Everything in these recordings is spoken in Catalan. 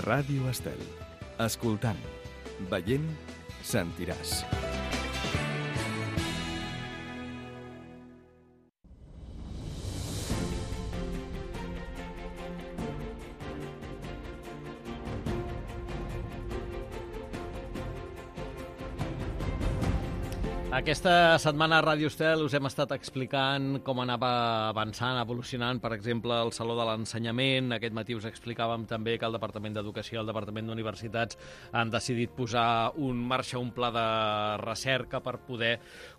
Ràdio Estel. Escoltant, veient, sentiràs. Aquesta setmana a Ràdio Estel us hem estat explicant com anava avançant, evolucionant, per exemple, el Saló de l'Ensenyament. Aquest matí us explicàvem també que el Departament d'Educació i el Departament d'Universitats han decidit posar en marxa un pla de recerca per poder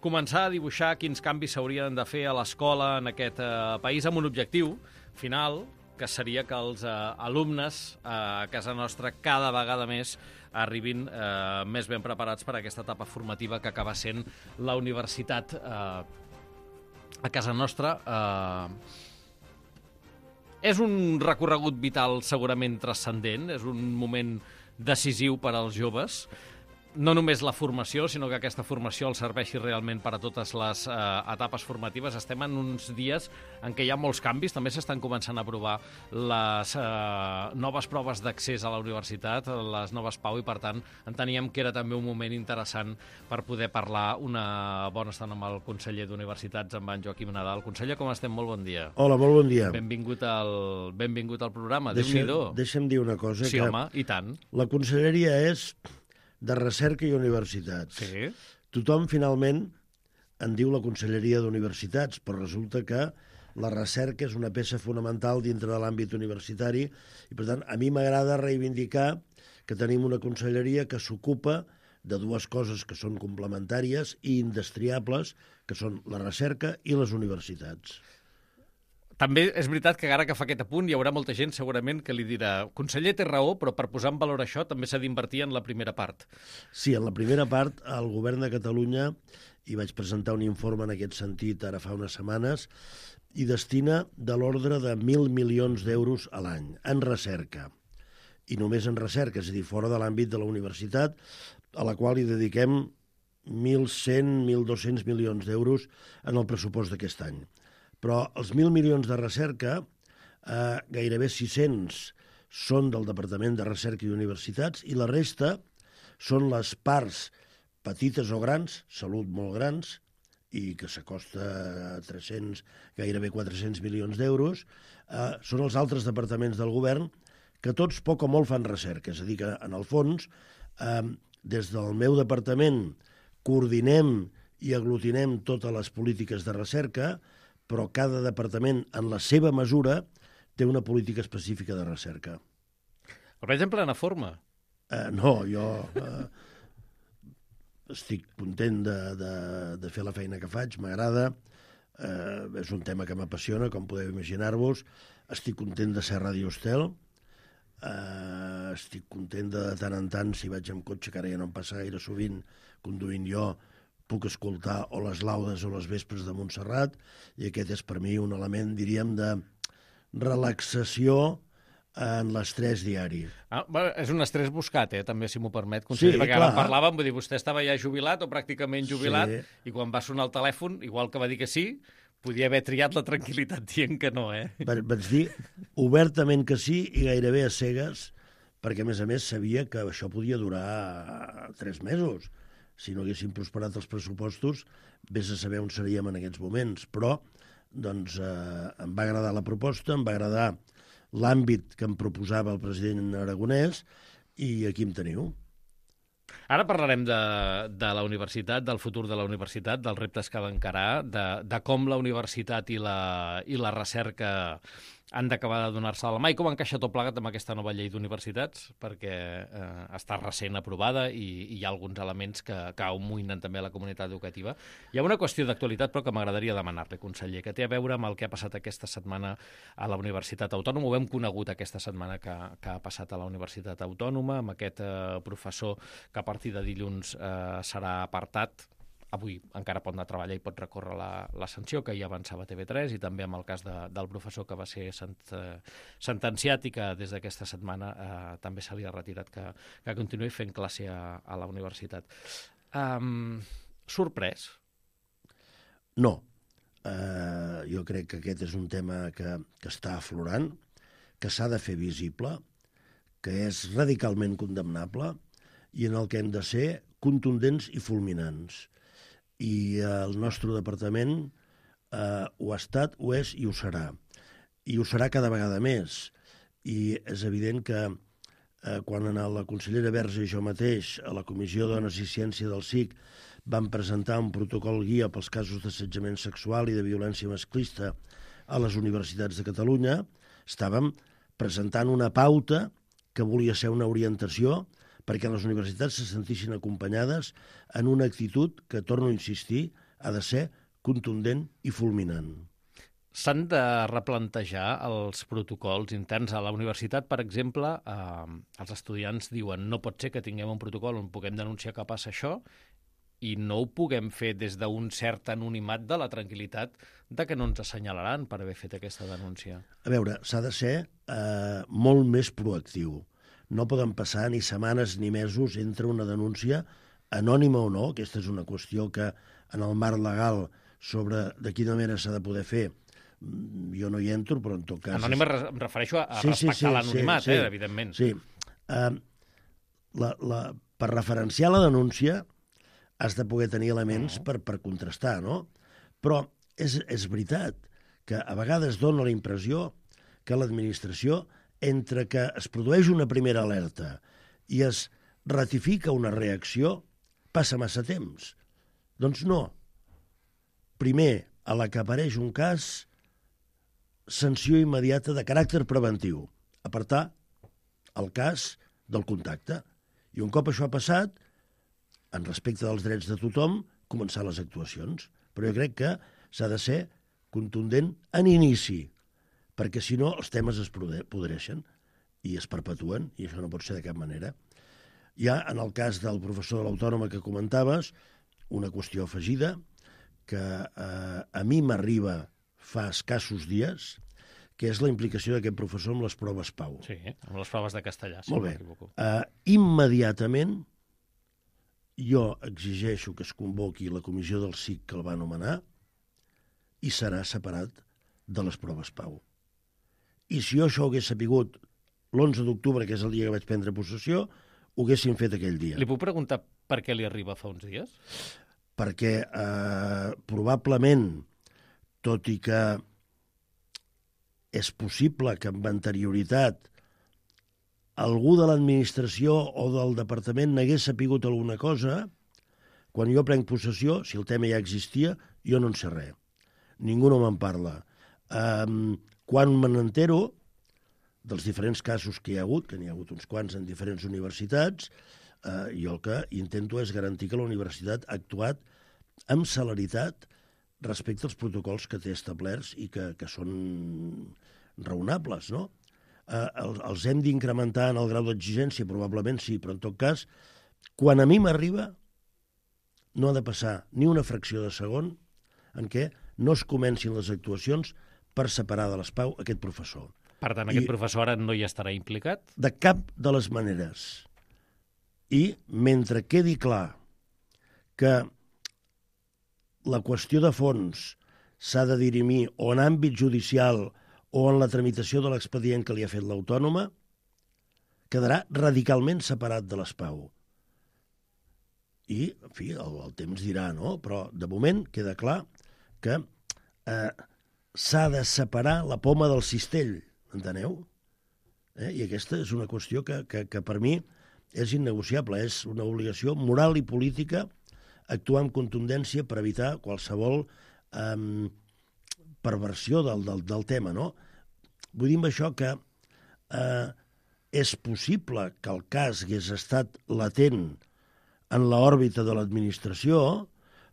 començar a dibuixar quins canvis s'haurien de fer a l'escola en aquest país amb un objectiu final, que seria que els alumnes a casa nostra cada vegada més arribin més ben preparats per a aquesta etapa formativa que acaba sent la universitat a casa nostra. És un recorregut vital segurament transcendent, és un moment decisiu per als joves. No només la formació, sinó que aquesta formació els serveixi realment per a totes les etapes formatives. Estem en uns dies en què hi ha molts canvis. També s'estan començant a aprovar les noves proves d'accés a la universitat, les noves PAU, i per tant enteníem que era també un moment interessant per poder parlar una bona estona amb el conseller d'Universitats, amb en Joaquim Nadal. Conseller, com estem? Molt bon dia. Hola, molt bon dia. Benvingut al programa. Déu-n'hi-do. Deixa'm dir una cosa. Sí, home, i tant. La conselleria és de Recerca i Universitats. Sí. Tothom, finalment, en diu la Conselleria d'Universitats, però resulta que la recerca és una peça fonamental dintre de l'àmbit universitari i, per tant, a mi m'agrada reivindicar que tenim una conselleria que s'ocupa de dues coses que són complementàries i indestriables, que són la recerca i les universitats. També és veritat que ara que fa aquest apunt hi haurà molta gent segurament que li dirà conseller, té raó, però per posar en valor això també s'ha d'invertir en la primera part. Sí, en la primera part el govern de Catalunya, i vaig presentar un informe en aquest sentit ara fa unes setmanes, hi destina de l'ordre de 1.000 milions d'euros a l'any en recerca. I només en recerca, és a dir, fora de l'àmbit de la universitat, a la qual hi dediquem 1.100, 1.200 milions d'euros en el pressupost d'aquest any. Però els 1.000 milions de recerca, gairebé 600 són del Departament de Recerca i Universitats i la resta són les parts petites o grans, salut molt grans, i que s'acosta a 300, gairebé 400 milions d'euros, són els altres departaments del govern que tots poc o molt fan recerca. És a dir, que en el fons, des del meu departament coordinem i aglutinem totes les polítiques de recerca, però cada departament, en la seva mesura, té una política específica de recerca. El veig en plena forma. No, jo estic content de fer la feina que faig, m'agrada, és un tema que m'apassiona, com podeu imaginar-vos, estic content de ser a Ràdio Estel, estic content de tant en tant, si vaig amb cotxe, que ara ja no em passa gaire sovint, conduint jo, puc escoltar o les laudes o les vespres de Montserrat, i aquest és per mi un element, diríem, de relaxació en l'estrès diari. És un estrès buscat, també, si m'ho permet, conseller, sí, perquè ara parlàvem, vull dir, vostè estava ja jubilat o pràcticament jubilat, sí. I quan va sonar el telèfon, igual que va dir que sí, podia haver triat la tranquil·litat dient que no, Vaig dir obertament que sí i gairebé a cegues, perquè, a més, sabia que això podia durar 3 mesos. Si no haguessin prosperat els pressupostos, vés a saber on seríem en aquests moments. Però, doncs, em va agradar la proposta, em va agradar l'àmbit que em proposava el president Aragonès, i aquí em teniu. Ara parlarem de la universitat, del futur de la universitat, dels reptes que ha d'encarar, de com la universitat i la recerca han d'acabar de donar-se a la mà, i com encaixa tot plegat amb aquesta nova llei d'universitats, perquè està recent aprovada i hi ha alguns elements que amoïnen també la comunitat educativa. Hi ha una qüestió d'actualitat, però que m'agradaria demanar-li, conseller, que té a veure amb el que ha passat aquesta setmana a la Universitat Autònoma. Ho hem conegut aquesta setmana que ha passat a la Universitat Autònoma, amb aquest professor que a partir de dilluns serà apartat. Avui encara pot anar a treballar i pot recórrer la sanció que ja avançava TV3, i també amb el cas del professor que va ser sentenciat i que des d'aquesta setmana també se li ha retirat que continuï fent classe a la universitat. Sorprès? No. Jo crec que aquest és un tema que està aflorant, que s'ha de fer visible, que és radicalment condemnable i en el que hem de ser contundents i fulminants. I el nostre departament ho ha estat, ho és i ho serà. I ho serà cada vegada més. I és evident que quan la consellera Verge i jo mateix a la Comissió Dones i Ciència del SIC vam presentar un protocol guia pels casos d'assetjament sexual i de violència masclista a les universitats de Catalunya, estàvem presentant una pauta que volia ser una orientació perquè les universitats se sentissin acompanyades en una actitud que, torno a insistir, ha de ser contundent i fulminant. S'han de replantejar els protocols interns a la universitat. Per exemple, els estudiants diuen no pot ser que tinguem un protocol on puguem denunciar que passa això i no ho puguem fer des d'un cert anonimat de la tranquil·litat de que no ens assenyalaran per haver fet aquesta denúncia. A veure, s'ha de ser molt més proactiu. No poden passar ni setmanes ni mesos entre una denúncia, anònima o no, aquesta és una qüestió que en el marc legal sobre de quina manera s'ha de poder fer, jo no hi entro, però en tot cas... Anònima em refereixo a respectar l'anonimat, evidentment. Sí, per referenciar la denúncia has de poder tenir elements per contrastar, no? Però és veritat que a vegades dona la impressió que l'administració, entre que es produeix una primera alerta i es ratifica una reacció, passa massa temps. Doncs no. Primer, a la que apareix un cas, sanció immediata de caràcter preventiu. Apartar el cas del contacte. I un cop això ha passat, en respecte dels drets de tothom, començar les actuacions. Però jo crec que s'ha de ser contundent en inici, perquè si no els temes es podreixen i es perpetuen, i això no pot ser de cap manera. Hi ha, en el cas del professor de l'Autònoma que comentaves, una qüestió afegida que a mi m'arriba fa escassos dies, que és la implicació d'aquest professor amb les proves PAU. Sí, amb les proves de castellà, si Molt no bé. m'equivoco. Immediatament jo exigeixo que es convoqui la comissió del SIC que el va nomenar i serà separat de les proves PAU. I si jo això ho hagués sapigut l'11 d'octubre, que és el dia que vaig prendre possessió, ho haguéssim fet aquell dia. Li puc preguntar per què li arriba fa uns dies? Perquè probablement, tot i que és possible que amb anterioritat algú de l'administració o del departament n'hagués sapigut alguna cosa, quan jo prenc possessió, si el tema ja existia, jo no en sé res. Ningú no me'n parla. Quan me n'entero dels diferents casos que hi ha hagut, que n'hi ha hagut uns quants en diferents universitats, jo el que intento és garantir que la universitat ha actuat amb celeritat respecte als protocols que té establerts i que són raonables, no? Els hem d'incrementar en el grau d'exigència? Probablement sí, però en tot cas, quan a mi m'arriba, no ha de passar ni una fracció de segon en què no es comencin les actuacions per separar de les PAU aquest professor. Per tant, aquest professor ara no hi estarà implicat? De cap de les maneres. I mentre quedi clar que la qüestió de fons s'ha de dirimir o en àmbit judicial o en la tramitació de l'expedient que li ha fet l'Autònoma, quedarà radicalment separat de les PAU. I, en fi, el temps dirà, no? Però, de moment, queda clar que s'ha de separar la poma del cistell, enteneu? I aquesta és una qüestió que per mi és innegociable, és una obligació moral i política actuar amb contundència per evitar qualsevol perversió del tema, no? Vull dir amb això que és possible que el cas hagués estat latent en l'òrbita de l'administració,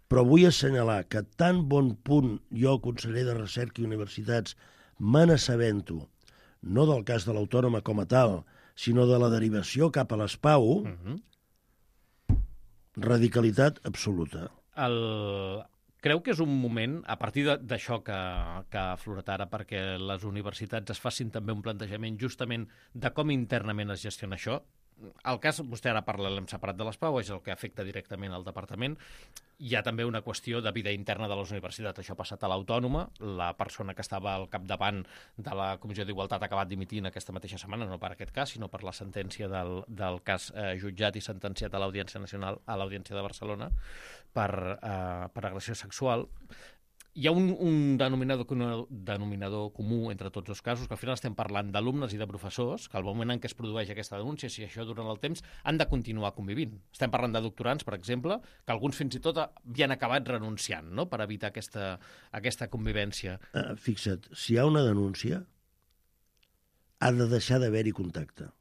però vull assenyalar que tan bon punt jo, conseller de Recerca i Universitats, me n'assabento, no del cas de l'Autònoma com a tal, sinó de la derivació cap a les PAU, radicalitat absoluta. Creu que és un moment, a partir d'això que ha aflorat ara, perquè les universitats es facin també un plantejament justament de com internament es gestiona això, el cas, vostè ara parla, l'hem separat de les PAU, és el que afecta directament al departament. Hi ha també una qüestió de vida interna de les universitats. Això ha passat a l'Autònoma. La persona que estava al capdavant de la Comissió d'Igualtat ha acabat dimitint aquesta mateixa setmana, no per aquest cas, sinó per la sentència del cas jutjat i sentenciat a l'Audiència Nacional, a l'Audiència de Barcelona, per agressió sexual. Hi ha un denominador comú entre tots els casos, que al final estem parlant d'alumnes i de professors, que al moment en què es produeix aquesta denúncia, si això durant el temps, han de continuar convivint. Estem parlant de doctorants, per exemple, que alguns fins i tot havien acabat renunciant, no?, per evitar aquesta convivència. Fixa't, si hi ha una denúncia, ha de deixar d'haver-hi contacte.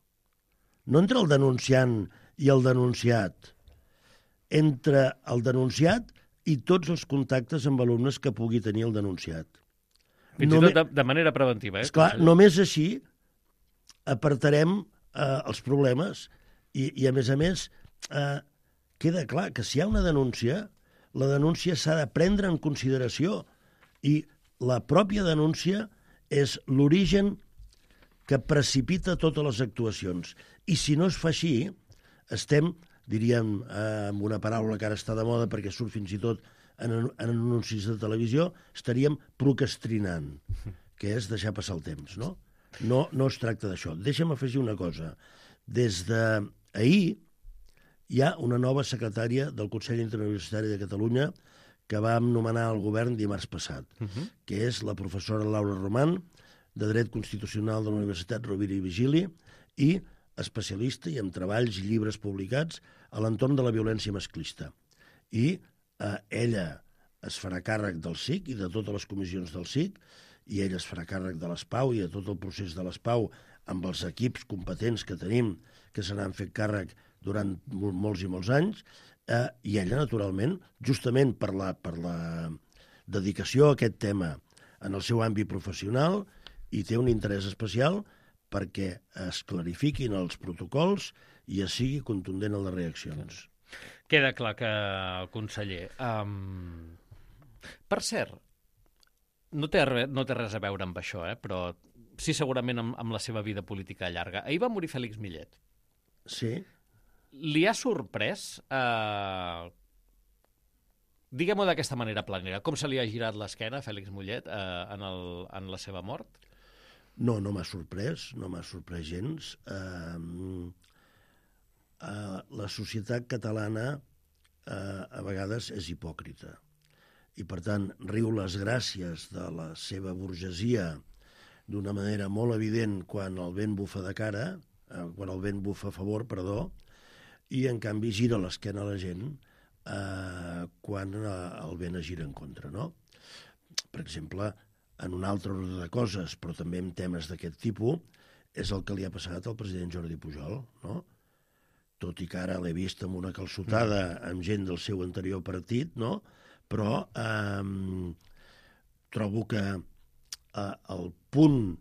No entre el denunciant i el denunciat, entre el denunciat i tots els contactes amb alumnes que pugui tenir el denunciat. Fins i tot de manera preventiva. Esclar, només així apartarem els problemes i a més, queda clar que si hi ha una denúncia, la denúncia s'ha de prendre en consideració i la pròpia denúncia és l'origen que precipita totes les actuacions. I si no es fa així, estem, diríem, amb una paraula que ara està de moda perquè surt fins i tot en anuncis de televisió, estaríem procrastinant, que és deixar passar el temps, no? No es tracta d'això. Deixa'm afegir una cosa. Des d'ahir hi ha una nova secretària del Consell Interuniversitari de Catalunya que vam nomenar al govern dimarts passat, que és la professora Laura Roman, de Dret Constitucional de la Universitat Rovira i Vigili, i especialista i amb treballs i llibres publicats a l'entorn de la violència masclista. I ella es farà càrrec del SIC i de totes les comissions del SIC, i ella es farà càrrec de l'ESPAU i de tot el procés de l'ESPAU amb els equips competents que tenim, que se n'han fet càrrec durant molts i molts anys, i ella, naturalment, justament per la dedicació a aquest tema en el seu àmbit professional, hi té un interès especial perquè es clarifiquin els protocols i es sigui contundent en les reaccions. Queda clar que, conseller... Per cert, no té res a veure amb això, però sí segurament amb la seva vida política llarga. Ahir va morir Fèlix Millet. Sí. Li ha sorprès, diguem-ho d'aquesta manera planera, com se li ha girat l'esquena a Fèlix Millet en la seva mort? No m'ha sorprès gens. La societat catalana a vegades és hipòcrita i, per tant, riu les gràcies de la seva burgesia d'una manera molt evident quan el vent bufa de cara, quan el vent bufa a favor, i, en canvi, gira l'esquena a la gent quan el vent es gira en contra, no? Per exemple, en un altre ordre de coses, però també en temes d'aquest tipus, és el que li ha passat al president Jordi Pujol, no? Tot i que ara l'he vist amb una calçotada amb gent del seu anterior partit, no? Però trobo que el punt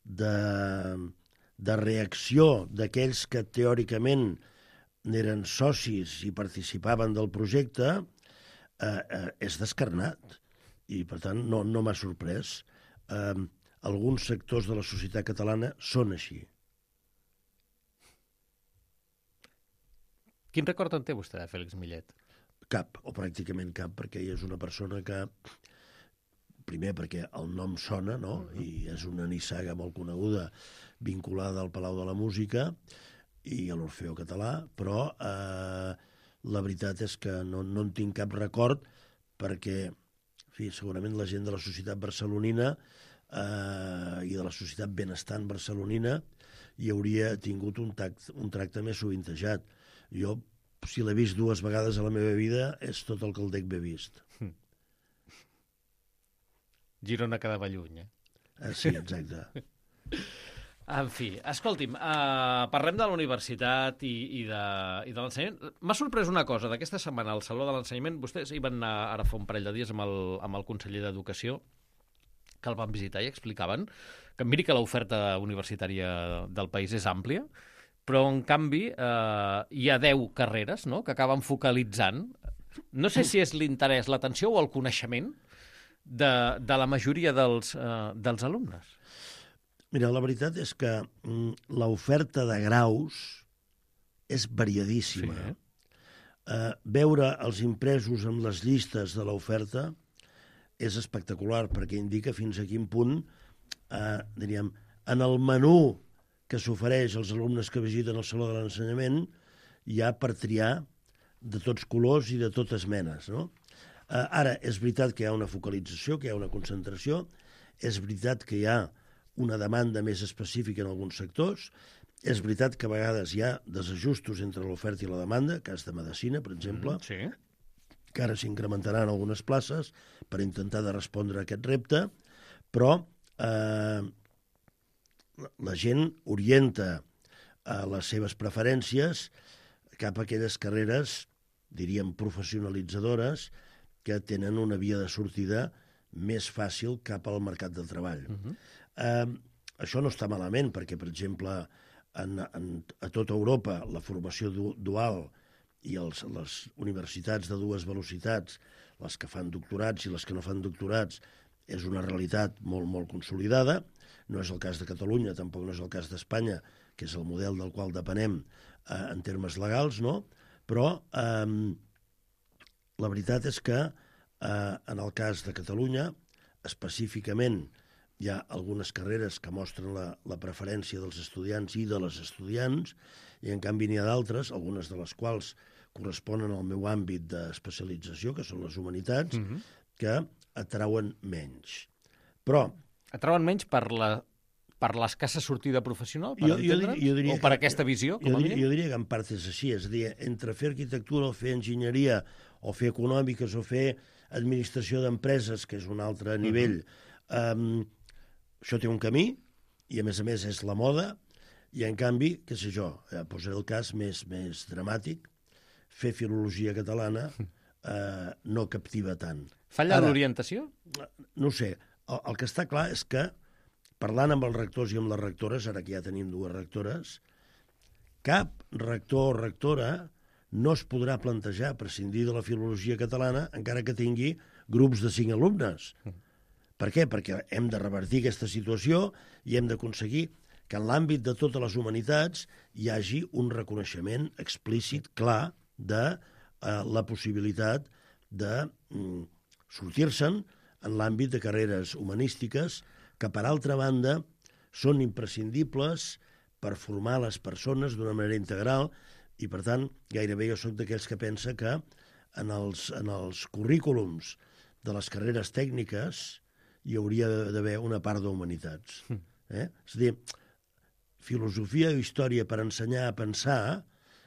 de reacció d'aquells que teòricament n'eren socis i participaven del projecte és descarnat. I, per tant, no m'ha sorprès. Alguns sectors de la societat catalana són així. Quin record en té vostè de Fèlix Millet? Cap, o pràcticament cap, perquè ell és una persona que, primer perquè el nom sona, no? I és una nissaga molt coneguda vinculada al Palau de la Música i a l'Orfeó Català, però la veritat és que no en tinc cap record perquè, en fi, segurament la gent de la societat barcelonina i de la societat benestant barcelonina hi hauria tingut un tracte més sovintejat. Jo, si l'he vist 2 vegades a la meva vida, és tot el que el dec haver vist. Girona quedava lluny, Sí, exacte. En fi, escolti'm, parlem de la universitat i de l'ensenyament. M'ha sorprès una cosa, d'aquesta setmana al Saló de l'Ensenyament, vostès hi van anar ara fa un parell de dies amb el conseller d'Educació, que el van visitar i explicaven que miri que l'oferta universitària del país és àmplia, però en canvi hi ha 10 carreres, no?, que acaben focalitzant, no sé si és l'interès, l'atenció o el coneixement de la majoria dels alumnes. Mira, la veritat és que l'oferta de graus és variadíssima. Sí. Veure els impresos amb les llistes de l'oferta és espectacular, perquè indica fins a quin punt, diríem, en el menú que s'ofereix als alumnes que visiten el Saló de l'Ensenyament hi ha per triar de tots colors i de totes menes, no? Ara, és veritat que hi ha una focalització, que hi ha una concentració, és veritat que hi ha una demanda més específica en alguns sectors, és veritat que a vegades hi ha desajustos entre l'oferta i la demanda, cas de medicina, per exemple, Sí. que ara s'incrementaran algunes places per intentar de respondre a aquest repte, però la gent orienta les seves preferències cap a aquelles carreres, diríem, professionalitzadores, que tenen una via de sortida més fàcil cap al mercat del treball. Això no està malament, perquè, per exemple, a tota Europa la formació dual i les universitats de dues velocitats, les que fan doctorats i les que no fan doctorats, és una realitat molt, molt consolidada. No és el cas de Catalunya, tampoc no és el cas d'Espanya, que és el model del qual depenem en termes legals, no? Però la veritat és que en el cas de Catalunya, específicament, hi ha algunes carreres que mostren la preferència dels estudiants i de les estudiants, i en canvi n'hi ha d'altres, algunes de les quals corresponen al meu àmbit d'especialització, que són les humanitats, que atrauen menys. Però Atrauen menys per l'escassa sortida professional, per entendre'ns? jo diria O per que- aquesta visió, com a mínim? Jo diria que en part és així, és a dir, entre fer arquitectura o fer enginyeria o fer econòmiques o fer administració d'empreses, que és un altre nivell, això té un camí i a més és la moda, i en canvi, què sé jo, posaré el cas més dramàtic, fer filologia catalana no captiva tant. Falla Ara, l'orientació? no ho sé, el que està clar és que, parlant amb els rectors i amb les rectores, ara que ja tenim dues rectores, cap rector o rectora no es podrà plantejar prescindir de la filologia catalana encara que tingui grups de 5 alumnes. Per què? Perquè hem de revertir aquesta situació i hem d'aconseguir que en l'àmbit de totes les humanitats hi hagi un reconeixement explícit, clar, de la possibilitat de sortir-se'n en l'àmbit de carreres humanístiques que, per altra banda, són imprescindibles per formar les persones d'una manera integral i, per tant, gairebé jo soc d'aquells que pensa que en els currículums de les carreres tècniques hi hauria d'haver una part d'humanitats. És a dir, filosofia o història per ensenyar a pensar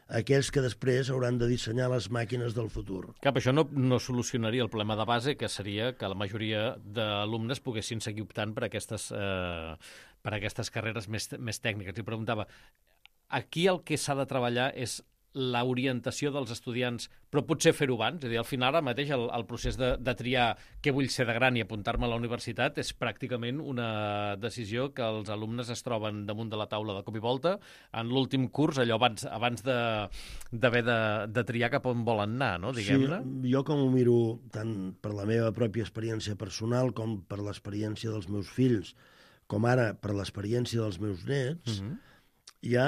aquells que després hauran de dissenyar les màquines del futur. Cap, això no solucionaria el problema de base, que seria que la majoria d'alumnes poguessin seguir optant per aquestes carreres més tècniques. I preguntava, aquí el que s'ha de treballar és l'orientació dels estudiants, però potser fer-ho abans? És a dir, al final, ara mateix, el procés de triar què vull ser de gran i apuntar-me a la universitat és pràcticament una decisió que els alumnes es troben damunt de la taula de cop i volta en l'últim curs, allò abans d'haver de triar cap on volen anar, no? Diguem-ne. Sí, jo com ho miro tant per la meva pròpia experiència personal com per l'experiència dels meus fills, com ara per l'experiència dels meus nets, hi ha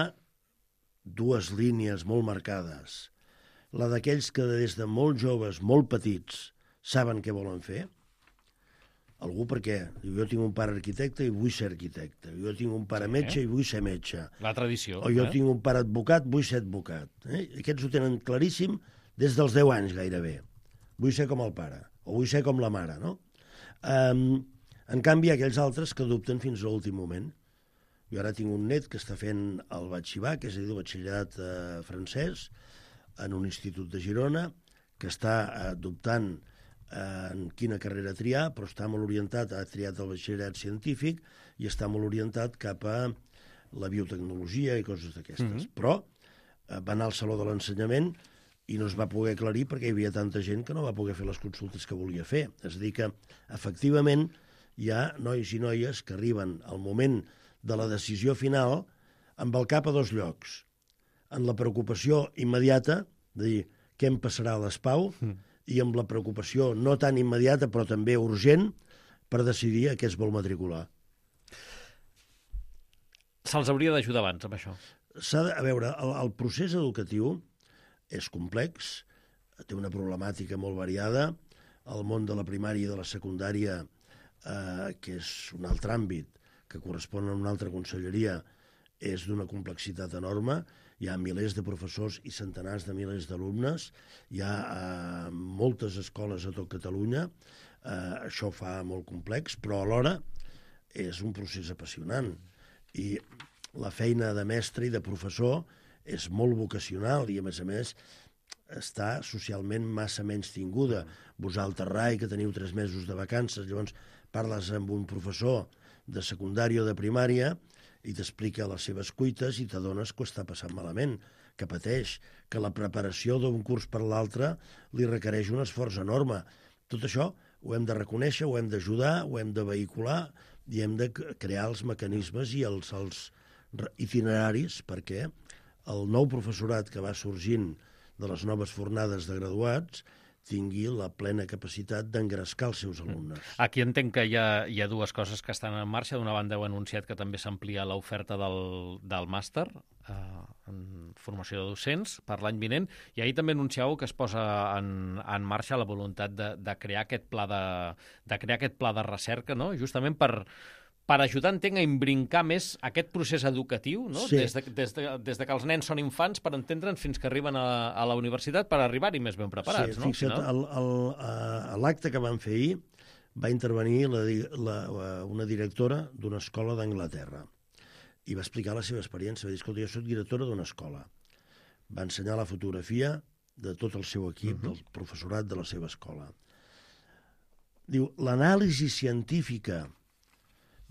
dues línies molt marcades. La d'aquells que des de molt joves, molt petits, saben què volen fer. Algú perquè jo tinc un pare arquitecte i vull ser arquitecte. Jo tinc un pare metge i vull ser metge. La tradició. O jo tinc un pare advocat, vull ser advocat. Aquests ho tenen claríssim des dels 10 anys gairebé. Vull ser com el pare, o vull ser com la mare, no? En canvi, hi ha aquells altres que dubten fins a l'últim moment. Jo ara tinc un net que està fent el batxibac, és a dir, el batxillerat francès, en un institut de Girona, que està dubtant en quina carrera triar, però està molt orientat, ha triat el batxillerat científic i està molt orientat cap a la biotecnologia i coses d'aquestes. Però va anar al Saló de l'Ensenyament i no es va poder aclarir perquè hi havia tanta gent que no va poder fer les consultes que volia fer. És a dir que, efectivament, hi ha nois i noies que arriben al moment de la decisió final amb el cap a dos llocs. En la preocupació immediata, de dir què em passarà a l'ESPAU, i amb la preocupació no tan immediata però també urgent per decidir a què es vol matricular. Se'ls hauria d'ajudar abans amb això? A veure, el procés educatiu és complex, té una problemàtica molt variada. El món de la primària i de la secundària, que és un altre àmbit, que correspon a una altra conselleria, és d'una complexitat enorme. Hi ha milers de professors i centenars de milers d'alumnes. Hi ha moltes escoles a tot Catalunya. Això ho fa molt complex, però alhora és un procés apassionant. I la feina de mestre i de professor és molt vocacional i, a més, està socialment massa menys tinguda. Vosaltres, Rai, que teniu 3 mesos de vacances, llavors parles amb un professor de secundària o de primària i t'explica les seves cuites i t'adones que ho està passant malament, que pateix, que la preparació d'un curs per l'altre li requereix un esforç enorme. Tot això ho hem de reconèixer, ho hem d'ajudar, ho hem de vehicular i hem de crear els mecanismes i els itineraris perquè el nou professorat que va sorgint de les noves fornades de graduats tingui la plena capacitat d'engrescar els seus alumnes. Aquí entenc que hi ha dues coses que estan en marxa. D'una banda, heu anunciat que també s'amplia l'oferta del màster en formació de docents per l'any vinent, i ahir també anunciàveu que es posa en marxa la voluntat de crear aquest pla de recerca, no? Justament per ajudar, entenc, a imbrincar més aquest procés educatiu, no? Sí. Des de que els nens són infants, per entendre'ns, fins que arriben a la universitat, per arribar-hi més ben preparats, no? Fixa't, a l'acte que van fer ahir va intervenir una directora d'una escola d'Anglaterra i va explicar la seva experiència. Va dir, escolta, jo soc directora d'una escola. Va ensenyar la fotografia de tot el seu equip, del professorat de la seva escola. Diu, l'anàlisi científica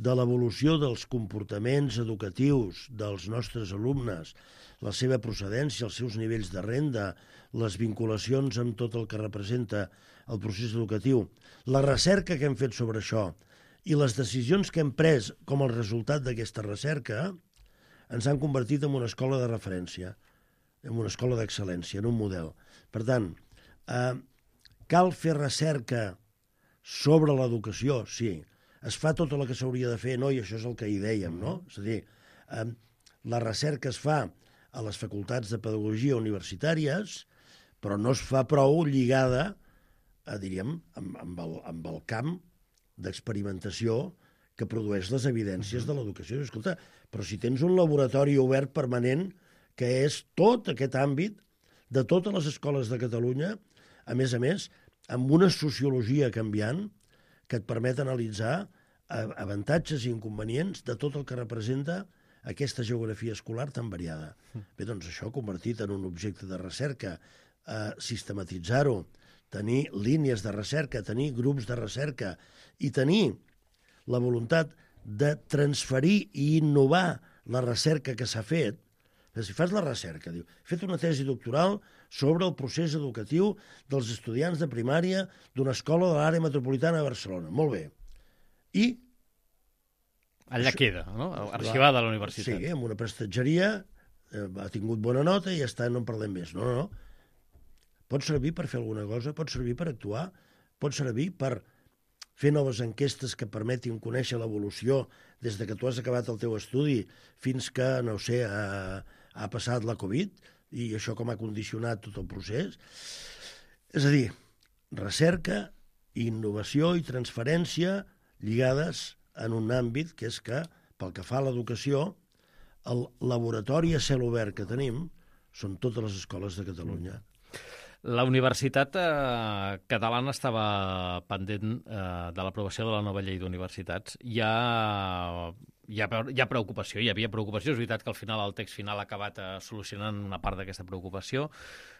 de l'evolució dels comportaments educatius dels nostres alumnes, la seva procedència, els seus nivells de renda, les vinculacions amb tot el que representa el procés educatiu, la recerca que hem fet sobre això i les decisions que hem pres com a resultat d'aquesta recerca ens han convertit en una escola de referència, en una escola d'excel·lència, en un model. Per tant, cal fer recerca sobre l'educació, sí. Es fa tot el que s'hauria de fer, no? I això és el que hi dèiem, no? És a dir, la recerca es fa a les facultats de pedagogia universitàries, però no es fa prou lligada, diríem, amb el camp d'experimentació que produeix les evidències de l'educació. Escolta, però si tens un laboratori obert permanent, que és tot aquest àmbit de totes les escoles de Catalunya, a més, amb una sociologia canviant, que et permet analitzar avantatges i inconvenients de tot el que representa aquesta geografia escolar tan variada. Bé, doncs això convertit en un objecte de recerca, sistematitzar-ho, tenir línies de recerca, tenir grups de recerca i tenir la voluntat de transferir i innovar la recerca que s'ha fet. Si fas la recerca, diu, he fet una tesi doctoral sobre el procés educatiu dels estudiants de primària d'una escola de l'àrea metropolitana de Barcelona. Molt bé. I... Allà queda, no? Arxivada a la universitat. Sí, amb una prestatgeria, ha tingut bona nota i ja està, no en parlem més. No. Pot servir per fer alguna cosa, pot servir per actuar, pot servir per fer noves enquestes que permetin conèixer l'evolució des de que tu has acabat el teu estudi fins que, no sé, ha passat la Covid i això com ha condicionat tot el procés. És a dir, recerca, innovació i transferència lligades en un àmbit que és que, pel que fa a l'educació, el laboratori a cel obert que tenim són totes les escoles de Catalunya. La Universitat Catalana estava pendent de l'aprovació de la nova llei d'universitats. Hi ha preocupació, hi havia preocupació. És veritat que al final el text final ha acabat solucionant una part d'aquesta preocupació,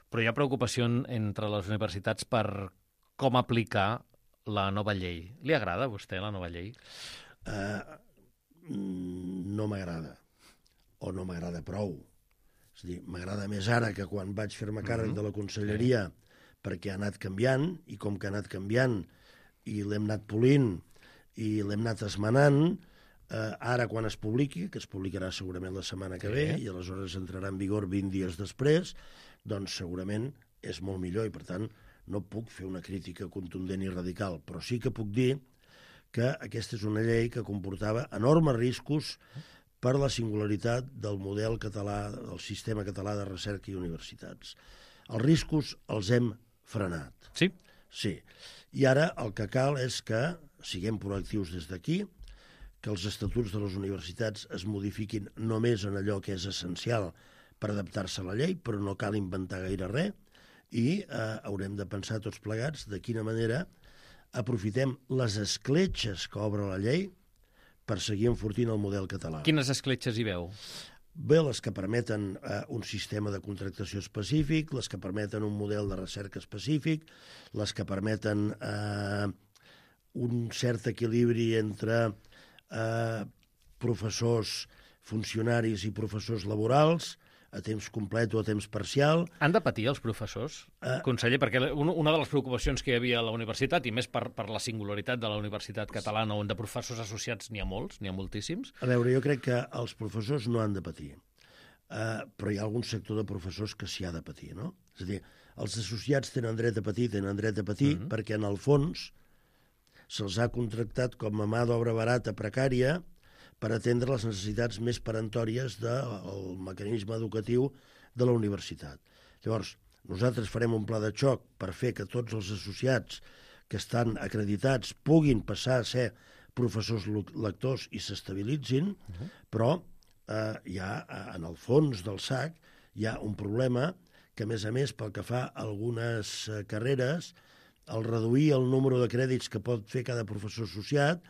però hi ha preocupació entre les universitats per com aplicar la nova llei. Li agrada a vostè la nova llei? No m'agrada, o no m'agrada prou. És a dir, m'agrada més ara que quan vaig fer-me càrrec de la conselleria, perquè ha anat canviant, i com que ha anat canviant, i l'hem anat polint, i l'hem anat esmenant, ara quan es publiqui, que es publicarà segurament la setmana que ve, i aleshores entrarà en vigor 20 dies després, doncs segurament és molt millor, i per tant no puc fer una crítica contundent i radical, però sí que puc dir que aquesta és una llei que comportava enormes riscos per la singularitat del model català, del sistema català de recerca i universitats. Els riscos els hem frenat. Sí? Sí. I ara el que cal és que siguem proactius des d'aquí, que els estatuts de les universitats es modifiquin només en allò que és essencial per adaptar-se a la llei, però no cal inventar gaire res, i haurem de pensar tots plegats de quina manera aprofitem les escletxes que obre la llei per seguir enfortint el model català. Quines escletxes hi veu? Bé, les que permeten un sistema de contractació específic, les que permeten un model de recerca específic, les que permeten un cert equilibri entre professors, funcionaris i professors laborals, a temps complet o a temps parcial. Han de patir els professors, conseller? Perquè una de les preocupacions que hi havia a la universitat, i més per la singularitat de la universitat catalana, on de professors associats n'hi ha molts, n'hi ha moltíssims. A veure, jo crec que els professors no han de patir, però hi ha algun sector de professors que s'hi ha de patir, no? És a dir, els associats tenen dret a patir, perquè en el fons se'ls ha contractat com a mà d'obra barata precària per atendre les necessitats més peremptòries del mecanisme educatiu de la universitat. Llavors, nosaltres farem un pla de xoc per fer que tots els associats que estan acreditats puguin passar a ser professors lectors i s'estabilitzin, però hi ha, en el fons del sac, hi ha un problema que, a més, pel que fa a algunes carreres, el reduir el número de crèdits que pot fer cada professor associat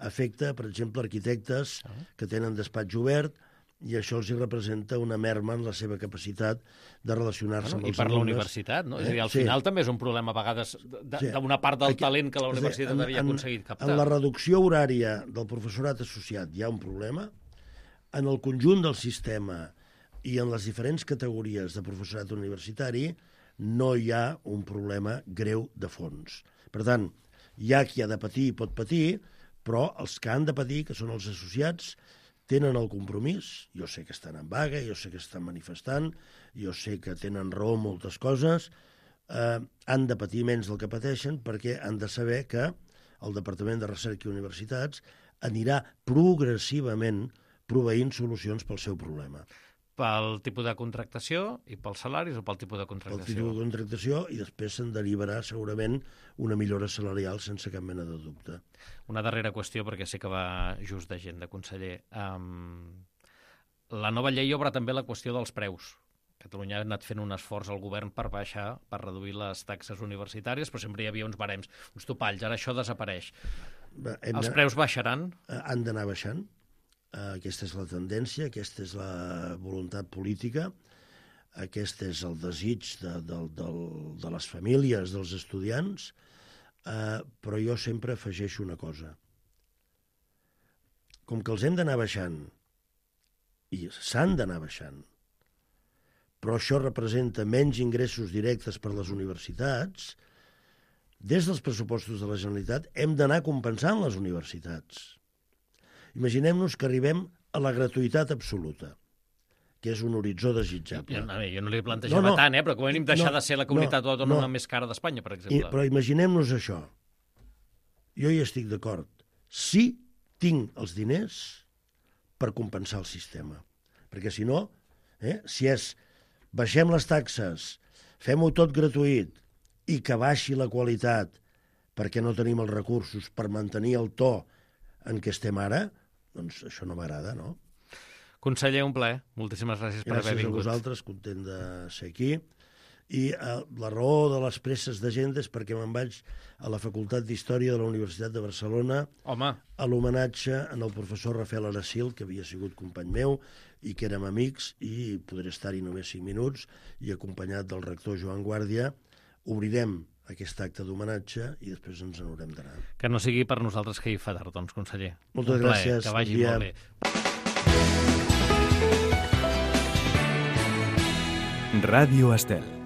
afecta, per exemple, arquitectes que tenen despatx obert, i això els representa una merma en la seva capacitat de relacionar-se amb els alumnes. I per la universitat, no? És a dir, al final també és un problema a vegades d'una part del talent que la universitat havia aconseguit captar. En la reducció horària del professorat associat hi ha un problema. En el conjunt del sistema i en les diferents categories de professorat universitari no hi ha un problema greu de fons. Per tant, hi ha qui ha de patir i pot patir, però els que han de patir, que són els associats, tenen el compromís, jo sé que estan en vaga, jo sé que estan manifestant, jo sé que tenen raó en moltes coses, han de patir menys del que pateixen perquè han de saber que el Departament de Recerca i Universitats anirà progressivament proveint solucions pel seu problema. Pel tipus de contractació i pels salaris o pel tipus de contractació? Pel tipus de contractació, i després se'n derivarà segurament una millora salarial sense cap mena de dubte. Una darrera qüestió, perquè sé que va just d'agenda, conseller. La nova llei obre també la qüestió dels preus. Catalunya ha anat fent un esforç al govern per baixar, per reduir les taxes universitàries, però sempre hi havia uns barems, uns topalls. Ara això desapareix. Els preus baixaran? Han d'anar baixant. Aquesta és la tendència, aquesta és la voluntat política, aquest és el desig de les famílies, dels estudiants, però jo sempre afegeixo una cosa. Com que els hem d'anar baixant, i s'han d'anar baixant, però això representa menys ingressos directes per les universitats, des dels pressupostos de la Generalitat hem d'anar compensant les universitats. Imaginem-nos que arribem a la gratuïtat absoluta, que és un horitzó desitjable. Jo no li plantejava tant, però com a mínim deixar de ser la comunitat autònoma més cara d'Espanya, per exemple. Però imaginem-nos això. Jo hi estic d'acord. Sí, tinc els diners per compensar el sistema. Perquè si no, si és baixem les taxes, fem-ho tot gratuït i que baixi la qualitat perquè no tenim els recursos per mantenir el to en què estem ara, doncs això no m'agrada, no? Conseller, un plaer. Moltíssimes gràcies per haver vingut. Gràcies a vosaltres, content de ser aquí. I la raó de les presses d'agenda és perquè me'n vaig a la Facultat d'Història de la Universitat de Barcelona a l'homenatge al professor Rafael Aracil, que havia sigut company meu i que érem amics, i podré estar-hi només 5 minuts, i acompanyat del rector Joan Guàrdia obrirem aquest acte d'homenatge i després ens n'haurem d'anar. Que no sigui per nosaltres que hi fa tard, doncs, conseller. Moltes gràcies. Que vagi molt bé. Ràdio Estel.